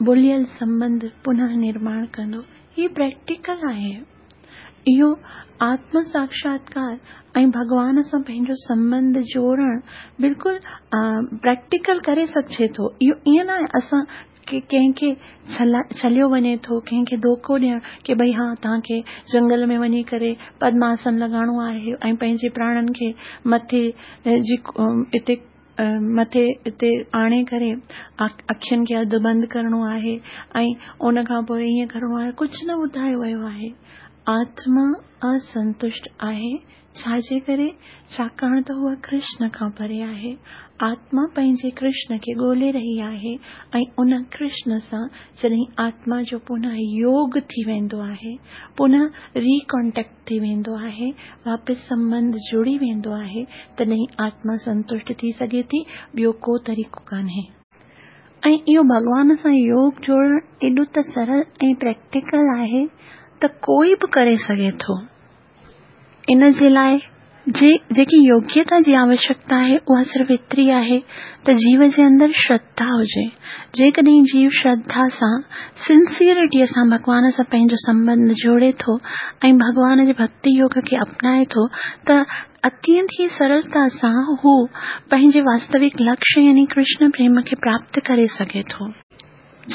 ڀليل سنٻنڌ پنه نرماڻ ڪندو. هي پريڪٽيڪل آهي. اهو آتم ساڪشاتڪار ۽ ڀڳوان سان پنهنجو سنٻنڌ جوڙڻ بلڪل پريڪٽيڪل ڪري سگهجي ٿو. اهو ائين ناهي اسان ڪنهن کي ڇليو وڃي ٿو، ڪنهن کي ڌوڪو ڏيڻ ڪي ڀئي ها توهان کي جنگل ۾ وڃي ڪري پدماسن لڳائڻو آهي ۽ پنهنجي پراڻن کي مٿي جي اتي مٿي اتي آڻي ڪري اکين کي اڌ بند ڪرڻو آهي ۽ ان کان پوء ائين ڪرڻو آهي ڪجهه نه ٻڌايو ويو آهي. آتما اسنتشٽ آهي ڇا جي ڪري؟ ڇاڪاڻ ته هوء ڪرشن کان پري آهي. آتما پنهنجي ڪرشن کي ڳولي رهي آهي ۽ ان ڪرشن سان جڏهن آتما جو پنه يوگ ٿي ويندو آهي، پنه ري ڪانٽيڪٽ ٿي ويندو آهي، واپس سنٻنڌ جڙي ويندو آهي، تڏهن آتما سنتشٽ ٿي سگهي ٿي، ٻيو ڪو طريقو ڪانهي. ۽ اهو ڀڳوان سان يوگ جوڙڻ ايڏو ته سرل ۽ پريڪٽيڪل آهي ته ڪوئي به ڪري سگهي ٿو. ان جي لاء جي جيڪي يوگيتا جي آوشيڪتا آهي اها صرف ايتري آهي ته جيو جي اندر شرڌا هجي. جيڪڏهن جيو شرڌا سان سنسيئرٽيء سان ڀڳوان سان پنهنجو سنٻنڌ جوڙي ٿو ۽ ڀڳوان جي ڀڳتي يوگ کي اپنائي ٿو ته اتينت ئي سرلتا سان هو پنهنجي واستوڪ لڪشيه يعني ڪرشن پريم کي پراپت ڪري سگهي ٿو.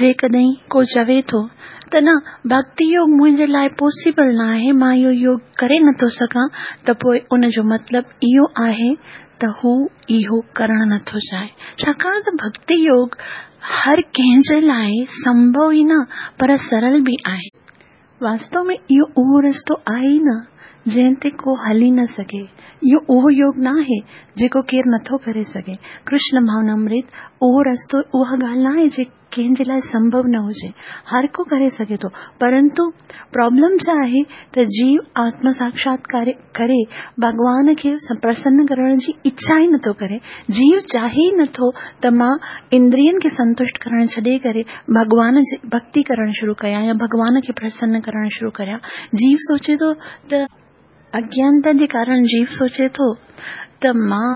جيڪڏهن ڪو چوي ٿو ته نه ڀڳتي يوگ منهنجي لاء پاسيبل نه آهي، مان اهو يوگ ڪري نه ٿو سگهان ته پوء ان جو مطلب اهو آهي ته هو اهو ڪرڻ نه ٿو چاهي. ڇاڪاڻ ته ڀڳتي يوگ هر ڪنهن جي لاء سنڀو ئي نه پر سرل به آهي. واستو ۾ اهو اهو رستو آهي ئي نه جنهن تي ڪو هلي نه سگهي. اهو اهو يوگ نه آهي جيڪو ڪير نٿو ڪري سگهي. ڪرشن ڀاونامرت اهو رستو اها ڳالهه نه آهي جيڪا ڪنهن جي لاء سنڀو نه هجي. هر ڪو ڪري سگهي ٿو. پرنتو پرابلم ڇا آهي ته جيو آتم ساڪشاتڪار ڪري ڀڳوان کي پرسن ڪرڻ جي اڇا ئي نٿو ڪري. جيو چاهي ئي نٿو ته مان اندرين کي سنتشٽ ڪرڻ ڇڏي ڪري ڀڳوان جي ڀڳتي ڪرڻ شروع ڪيان يا ڀڳوان کي پرسن ڪرڻ شروع ڪريان. جيو سوچي ٿو ته. اگيانتا جي ڪارڻ جيو سوچي ٿو ته مان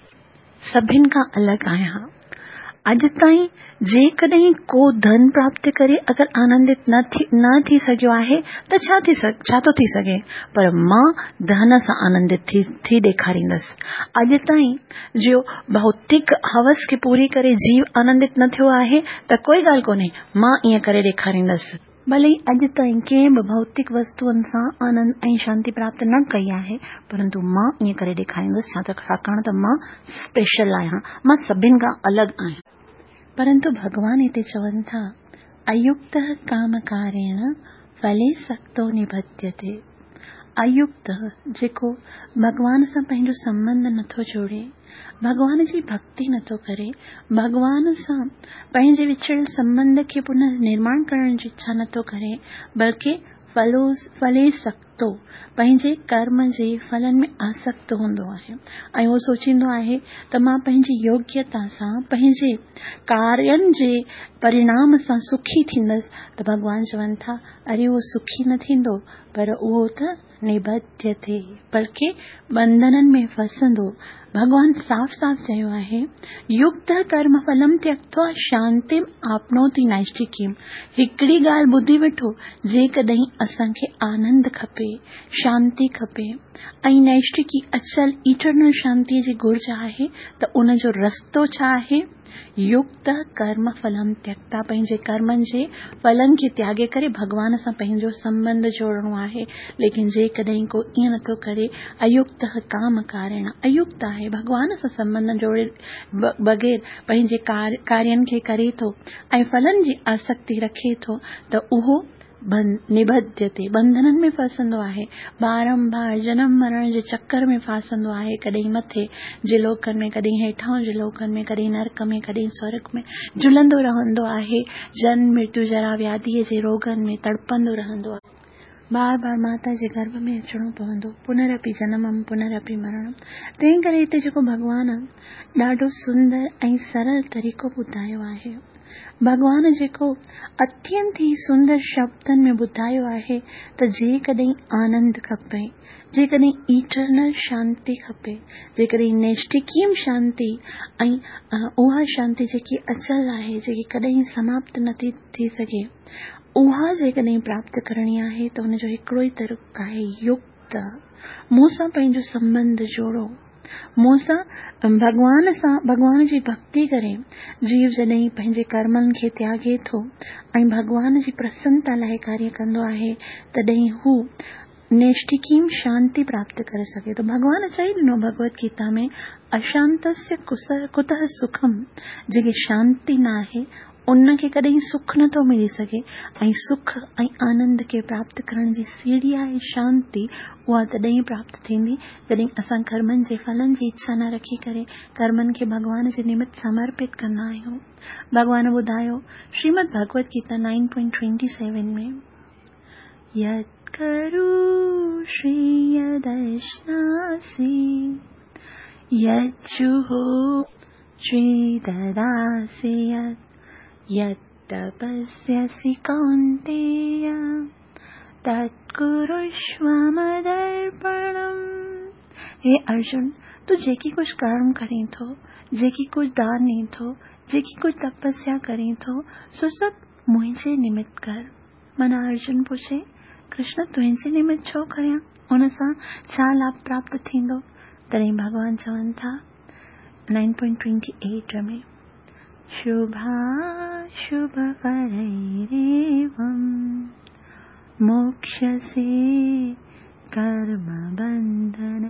سڀن کان الڳ آهيان. اڄ تائين جيڪڏهن ڪو ڌن پراپت ڪري اگر آنندت نه ٿي نه ٿي سگهيو آهي ته ڇا ٿي ڇا ٿو ٿي سگهي پر مان ڌن سان آنندت ٿي ٿي ڏيکاريندس. اڄ تائين جو ڀوتڪ هوس کي پوري ڪري جيو آنندت نه ٿيو آهي ته ڪوئي ڳالهه ڪونهي مان ائين ڪري ڏيکاريندس. ڀلي ئي اڄ تائين ڪنهن به ڀوتڪ وستوئن سان آنند ۽ شانتي پراپت نه ڪئي آهي، پرنتو مان ائين ڪري ڏيکاريندس، ڇا ته ڇاڪاڻ ته مان اسپيشل آهيان، مان سڀن کان الڳ آهيان. پرنتو ڀڳوان هتي چون ٿا، ايڪته ڪامڪاريڻ ڦلي سڪتو نبڌيتي. ايڪته، جيڪو ڀڳوان سان پنهنجو سنٻنڌ نٿو جوڙي، ڀڳوان جي ڀڳتي نٿو ڪري، ڀڳوان سان پنهنجي وڇڙيل سنٻنڌ کي پنر نرماڻ ڪرڻ جي اڇا نٿو ڪري، بلڪه ڦلي سڪتو، پنهنجي ڪرم جي ڦلن ۾ آسڪت هوندو آهي ۽ اهو سوچيندو آهي ته مان پنهنجي يوگيتا سان پنهنجي ڪارين جي پرڻام سان سکي ٿيندس ته ڀڳوان چون ٿا اري اهو سکي نه ٿيندو پر اهو ته نبڌيتي، بلڪه ٻنڌنن ۾ ڦسندو. ڀڳوان صاف صاف چيو آهي، يڪت ڪرم ڦلم تيڪتوا شانتيم آپنوتي نائشٽڪيم. هڪڙي ڳالهه ٻڌي وٺو، جيڪڏهن اسان کي آنند کپي، شانتي کپي ۽ نائشٽڪي اچل Eternal شانتيء جي گهرج آهي ته ان جو رستو ڇا آهي؟ يڪت ڪرم ڦلم تيڪتا پنهنجي ڪرمن جي ڦلن کي تياڳي ڪري ڀڳوان سان پنهنجو سنٻنڌ جوڙڻو آهي ليڪن جيڪڏهن ڪو ائين نٿو ڪري ايڪت ڪام ڪارڻ ايڪت آهي ڀڳوان سان سنٻنڌ جوڙي بغير پنهنجي ڪارين کي ڪري ٿو ۽ ڦلن جي آسڪتي رکي ٿو ته اهو نبڌيتي، ٻنڌنن ۾ ڦاسندو آهي، بارنبار جنم مرڻ جي چڪر ۾ ڦاسندو آهي، ڪڏهن مٿي جي لوڪن ۾، ڪڏهن هيٺان جي لوڪن ۾، ڪڏهن نرڪ ۾، ڪڏهن سورڳ ۾ جهلندو رهندو آهي، جنم مرتيو جرا وياڌيء جي روڳن ۾ تڙپندو رهندو آهي. بار بار ماتا جي گرڀ ۾ اچڻو پوندو، پنرپي جنمم پنرپي مرڻم. تنهن ڪري هتي جيڪو ڀڳوان ڏاڍو سندر ۽ سرل طريقو ٻڌايو آهي. ڀڳوان جيڪو اتينت ئي سندر شبدن ۾ ٻڌايو آهي ته جيڪڏهن آنند کپي، جيڪڏهن ايٽرنل شانتي کپي، جيڪڏهن نيشٽڪيم شانتي ۽ اها شانتي جيڪي اچل آهي، جيڪي ڪڏهن سماپت نه ٿي ٿي سگهي، اها جيڪڏهن پراپت ڪرڻي آهي ته ان جو هڪڙو ئي طريقو آهي يڪت مون سان پنهنجو سنٻنڌ جوڙو. مون سان، ڀڳوان سان، ڀڳوان جي ڀڳتي ڪري، جيو جڏهن پنهنجي ڪرمن کي تياڳي ٿو ۽ ڀڳوان جي پرسنتا لاء ڪاريه ڪندو آهي، تڏهن هو نيشٽڪيم شانتي پراپت ڪري سگهي ٿو. ڀڳوان چئي ڏنو ڀڳوت گيتا ۾ اشانتسيه ڪتهه سکم، جنهن کي شانتي نه آهي، ان کي ڪڏهن سک نه ٿو ملي سگهي ۽ سک ۽ آنند کي پراپت ڪرڻ جي سيڙهي آهي شانتي، اها تڏهن ئي پراپت ٿيندي جڏهن اسان ڪرمن جي ڦلن جي اڇا نه رکي ڪري ڪرمن کي ڀڳوان جي نمت سمرپت ڪندا آهيون. ڀڳوان ٻڌايو Shrimad Bhagavad Gita nine point twenty seven ۾، يت ڪروشي يدشناسي يجوهو دداسي يت تپسيسي ڪونتييه تت ڪرشو مدرپڻم. هي ارجن! تون جيڪي ڪجهه ڪرم ڪرين ٿو، جيڪي ڪجهه دان ڏين ٿو، جيڪي ڪجهه تپسيا ڪرين ٿو، سو سڀ منهنجي نمت ڪر. معنيٰ ارجن پڇي، ڪرشن تنهنجي نمت ڇو ڪريان؟ ان سان ڇا لاڀ پراپت ٿيندو؟ تڏهن ڀڳوان چون ٿا، 9.28 ۾، شڀاشڀ ڦليريوم موڪشسي ڪرم بنڌن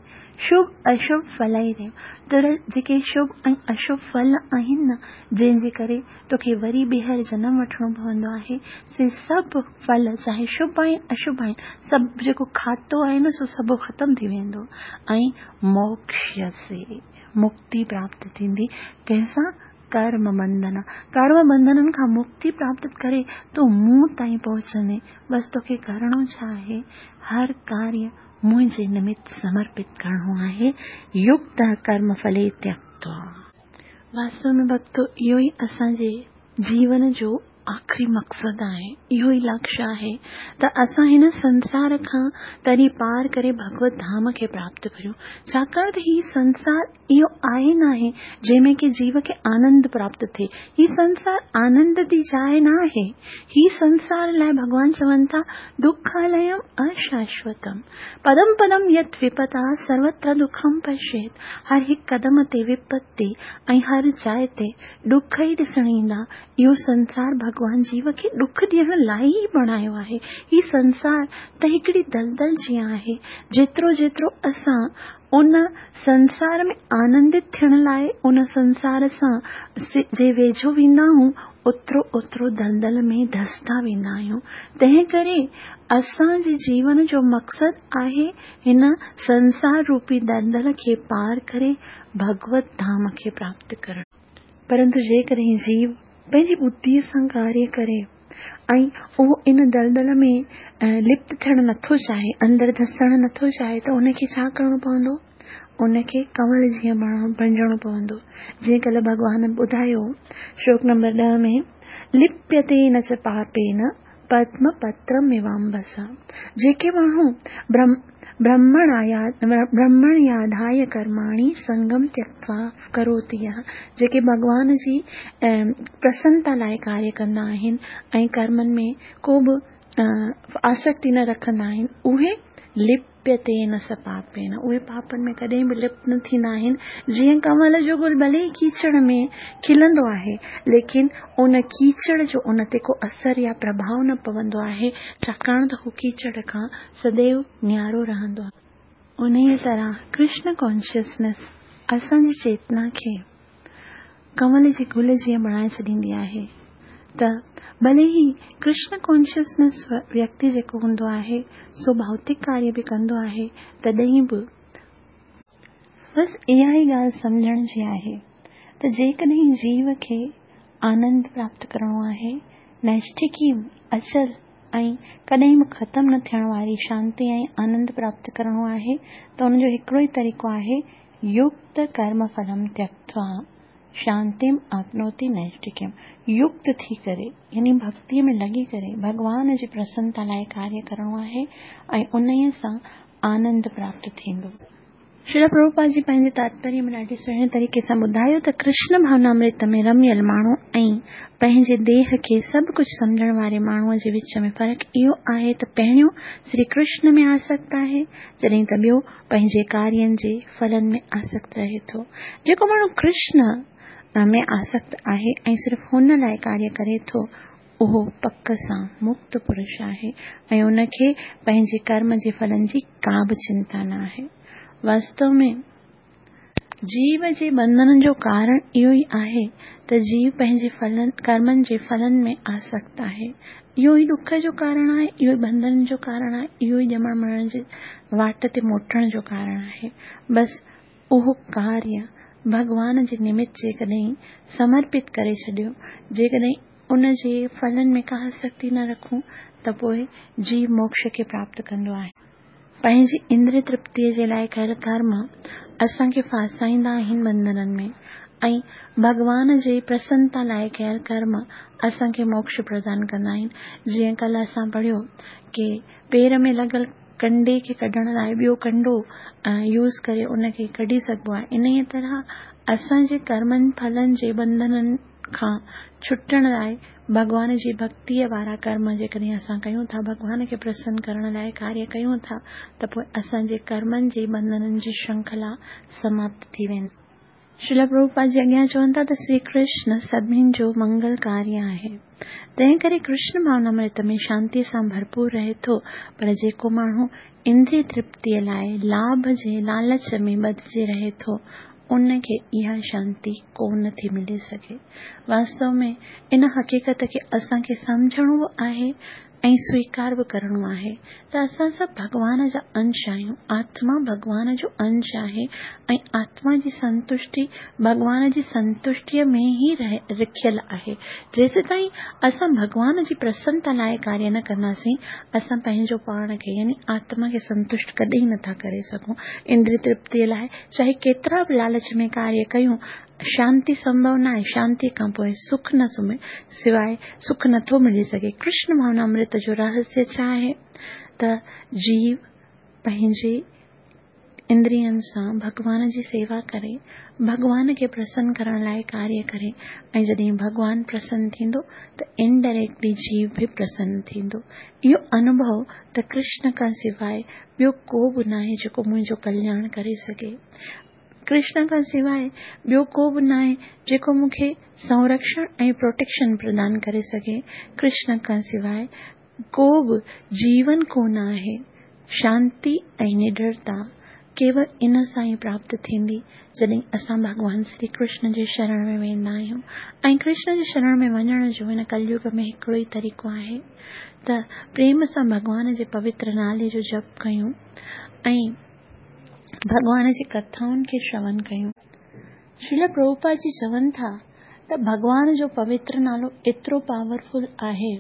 شڀ اشڀ ڦليريوم تڙ جيڪي شڀ ۽ اشڀ ڦل آهن نه جنهن جي ڪري توکي وري ٻيهر جنم وٺڻو پوندو آهي سي سڀ ڦل چاهي شڀ آهن اشڀ آهن سڀ جيڪو کاتو آهي نه سو سڀ ختم ٿي ويندو ۽ موڪشسي مڪتي پراپت ٿيندي ڪنهن سان ڪرم بنڌن، ڪرم بنڌنن کان مڪتي پراپت ڪري تون مون تائين پهچندين. بس توکي ڪرڻو ڇا آهي؟ هر ڪاريه منهنجي نمت سمرپت ڪرڻو آهي. يڪت ڪرم ڦلي تيڪتوا. واستو ۾ ڀڳتو اهو ئي اسان جي جيون جو آخري مقصد آهي، اهو ئي لڪشيه آهي ته اسان هن سنسار کان تري پار ڪري ڀڳوت ڌام کي پراپت ڪريون، ڇاڪاڻ ته هي سنسار اهو آهي ناهي جنهن ۾ ڪي جيو کي آنند پراپت ٿئي، هي سنسار آنند جي جاء نه آهي، هي سنسار لاء ڀڳوان چون ٿا دکاليم اشاشوتم پدم پدم يت وپتا سروتر دکم پشيت هر هڪ قدم تي وپتي ۽ هر جاء تي ڏک ئي ڏسڻ ايندا، اهو سنسار ڀڳوان جيو کي ڏک ڏيڻ لاء ئي بڻايو آهي. هي سنسار ته هڪڙي دلدل جيان آهي. جيترو جيترو اسان ان سنسار ۾ آنندت ٿيڻ لاء ان سنسار سان جي ويجهو ويندا آهيون، اوترو اوترو دلدل ۾ ڌسندا ويندا آهيون. تنهن ڪري اسان جي جيون جو مقصد آهي هن سنسار روپي دلدل کي پار ڪري ڀڳوت ڌام کي پراپت ڪرڻ. پرنتو جيڪڏهن جيو پنهنجي ٻڌيء سان ڪاريه ڪري ۽ اهو ان دلدل ۾ لپت ٿيڻ نٿو چاهي، اندر ڌسڻ نٿو چاهي ته ان کي ڇا ڪرڻو پوندو؟ ان کي ڪنول جيئن بڻجڻو پوندو. جيئن ڪلهه ڀڳوان ٻڌايو شلوڪ نمبر ڏهه ۾، لپيتي نه چ پاپين پدم پترميوامبسا جيڪي ماڻهو برهمڻياڌايه ڪرماڻي سنگم تيڪتوا ڪروتي يهه جيڪي ڀڳوان جي پرسنتا لاء ڪاريه ڪندا آهن ۽ ڪرمن ۾ ڪو به آسڪتي نه رکندا آهن اهي لپيتي نه س پاپين اهي پاپن ۾ ڪڏهن به لپت نه ٿيندا آهن. جيئن ڪنول جو گل ڀلي ئي ڪيچڙ ۾ کلندو آهي، ليڪن ان ڪيچڙ جو ان تي ڪو اثر يا پرڀاء نه پوندو آهي، ڇاڪاڻ ته هو ڪيچڙ کان سديو نيارو رهندو آهي. انهيء طرح ڪرشن ڪانشسنيس اسان جي چيتنا کي ڪنول جي گل جيئن بڻائي ڇڏيندي آهي ته ڀلي ئي ڪرشن ڪانشسنيس ويڪتي جيڪو هوندو آهي سو ڀائوتڪ ڪاريه به ڪندو آهي تڏهن به بس اها ئي ڳالهه سمجهڻ جي آهي ته جيڪڏهن جيو کي آنند پراپت ڪرڻو آهي، نيشٺڪي، اچل ۽ ڪڏهن به ختم نه ٿيڻ واري شانتي ۽ آنند پراپت ڪرڻو آهي ته ان جو هڪڙو ئي طريقو آهي يڪت ڪرم ڦلم تيڪتوا شانتيم آپنوتي نيشٽڪيم يڪت ٿي ڪري يعني ڀڳتيء ۾ لڳي ڪري ڀڳوان جي پرسنتا لاء ڪاريه ڪرڻو آهي ۽ انهيء سان آنند پراپت ٿيندو. شريل پرڀوپاد جي پنهنجي تاتپريه ۾ ڏاڍي سهڻي طريقي سان ٻڌايو ته ڪرشن ڀاونامرت ۾ رميل ماڻهو ۽ پنهنجي ديهه کي سڀ ڪجهه سمجهڻ واري ماڻهوء جي وچ ۾ فرق اهو آهي ته پهريون سري ڪرشن ۾ آسڪت آهي جڏهن ته ٻيو پنهنجي ڪارين جي ڦلن ۾ آسڪت رهي ٿو. جيڪو ماڻهو ڪرشن ۾ آسڪت آهي ۽ صرف هن لاء ڪاريه ڪري ٿو، اهو پڪ سان مڪت پرش آهي ۽ ان کي پنهنجي ڪرم جي ڦلن جي ڪا به چنتا نه آهي. واستو ۾. جيو جي ٻنڌن جو ڪارڻ اهو ئي آهي ته جيو پنهنجي ڦلن، ڪرمن جي ڦلن ۾ آسڪت آهي. اهو ئي ڏک جو ڪارڻ آهي، اهو ئي ٻنڌن جو ڪارڻ آهي، اهو ئي ڄمڻ مرڻ جي واٽ تي موٽڻ جو ڪارڻ آهي. بس اهو ڪاريه ڀڳوان جي نمت جيڪڏهن سمرپت ڪري ڇڏيو، جيڪڏهن ان جي ڦلن ۾ ڪا آسڪتي نه رکون ته پوء جيو موڪش کي پراپت ڪندو آهي. پنهنجي اندري ترپتيء جي لاء ڪيل ڪرم اسان کي ڦاسائيندا آهن ٻنڌنن ۾ ۽ ڀڳوان جي پرسنتا لاء ڪيل ڪرم اسان کي موڪش پردان ڪندا آهن. جيئن ڪلهه اسان پڙهيو ڪي پير ۾ لڳل ڪنڊي کي ڪڍڻ لاء ٻيو ڪنڊو يوز ڪري ان کي ڪڍي سگهبو آهي، انهيء طرح اسان جي ڪرمن ڦلن جي ٻنڌنن کان ڇٽڻ لاء ڀڳوان جي ڀڳتيء وارا ڪرم جيڪڏهن اسان ڪيون ٿا، ڀڳوان کي پرسن ڪرڻ لاء ڪاريه ڪيون ٿا ته پوء اسان جي ڪرمن جي ٻنڌنن جي شرنکلا سماپت ٿي ويندي. شريلا پرڀوپاد جي اڳيان چون ٿا ته شري ڪرشن سڀني جو منگلڪاري آهي، تنهن ڪري ڪرشن ڀاونامرت ۾ شانتيء سان ڀرپور رهي ٿو، پر جيڪو ماڻهو اندري ترپتيء لاء لاڀ جي لالچ ۾ ٻڌجي رهي ٿو، ان کي اها شانتي ڪو نه ٿي ملي سگهي. واستو ۾ ان حقيقت کي اسان کي سمجهڻو به آهي ۽ سويڪار به ڪرڻو آهي ته اسان سڀ ڀڳوان جا انش آهيون. آتما ڀڳوان جو انش آهي ۽ آتما جي سنتشٽي ڀڳوان جي سنتشٽيء ۾ ئي رکيل آهي. جيسيتائين اسان ڀڳوان جي پرسنتا لاء ڪاريه نه ڪنداسين، اسان پنهنجو پاڻ کي يعني آتما کي سنتشٽ ڪڏهن نه ٿا ڪري سگهون. اندري ترپتيء لاء چاهي ڪيترا به لالچ ۾ ڪاريه ڪيون، شانتي سنڀو ناهي، شانتيء کان پوء سک نه سواء سک نه ٿو ملي سگهي. ڪرشن ڀاونامرت جو رهسيه ڇا آهي ته جيو پنهنجي اندرين سان ڀڳوان جي سيوا ڪري، ڀڳوان کي پرسن ڪرڻ لاء ڪاريه ڪري ۽ جڏهن ڀڳوان پرسن ٿيندو ته انڊائريڪٽلي جيو به پرسن ٿيندو. اهو انوڀو ته ڪرشن کان سواء ٻيو ڪو به ناهي جيڪو منهنجو ڪلياڻ ڪري سگهي. ڪرشن کان سواء ٻيو ڪو به ناهي جيڪو مون کي سنرڪشڻ ۽ پروٽيڪشن پردان ڪري سگهي. ڪرشن کان سواء ڪو به جيون ڪو نه آهي. شانتي ۽ نڊرتا ڪيول ان سان ئي پراپت ٿيندي جڏهن اسان ڀڳوان شري ڪرشن جي شرڻ ۾ ويندا آهيون ۽ ڪرشن جي شرڻ ۾ وڃڻ جو هن ڪليگ ۾ هڪڙو ئي طريقو آهي ته پريم سان ڀڳوان جي پوتر نالي جو جپ ڪيون ۽ ڀڳوان جي ڪٿائن کي شرون ڪيون. شريلا پرڀوپاد جي چون ٿا ته ڀڳوان جو پوتر نالو ايترو پاورفل آهي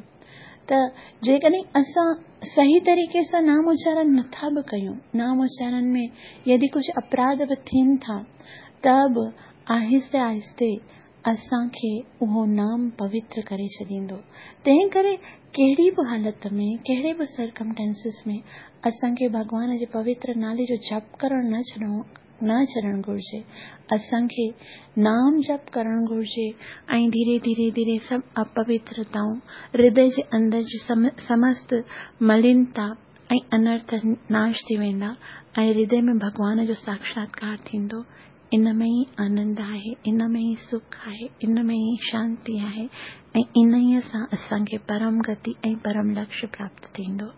ته جيڪڏهن اسان صحيح طريقي سان نام اچارن نٿا به ڪيون، نام اچارن ۾ يدي ڪجهه اپراڌ به ٿين ٿا ته به آهستي آهستي اسان کي اهو نام پوتر ڪري ڇڏيندو. تنهن ڪري ڪهڙي به حالت ۾، ڪهڙي به سرڪمٽينسز ۾ اسان کي ڀڳوان جي پوتر نالي جو جپ ڪرڻ نه ڇڏڻو نه ڇڏڻ گهرجي. اسان کي نام جپ ڪرڻ گهرجي ۽ ڌيري ڌيري ڌيري سڀ اپوترتائون، هردي جي اندر جي سمست ملينتا ۽ انرٿ ناش ٿي ويندا ۽ هردي ۾ ڀڳوان جو ساکشاتڪار ٿيندو. ان ۾ ئي آنند آهي، ان ۾ ئي سک آهي، ان ۾ ئي شانتي آهي ۽ انهيء سان اسان کي پرم گتي ۽ پرم لڪشيه پراپت ٿيندو.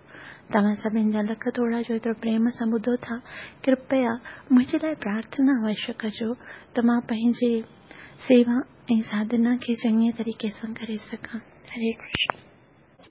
توهان سڀن جا لک ٿورا جو ايترو پريم سان ٻڌو ٿا. ڪرپيا منهنجي لاء پرارٿنا اوشيه ڪجو ته مان پنهنجي سيوا ۽ ساڌنا کي چڱي طريقي سان ڪري سگهان. هري ڪرشن.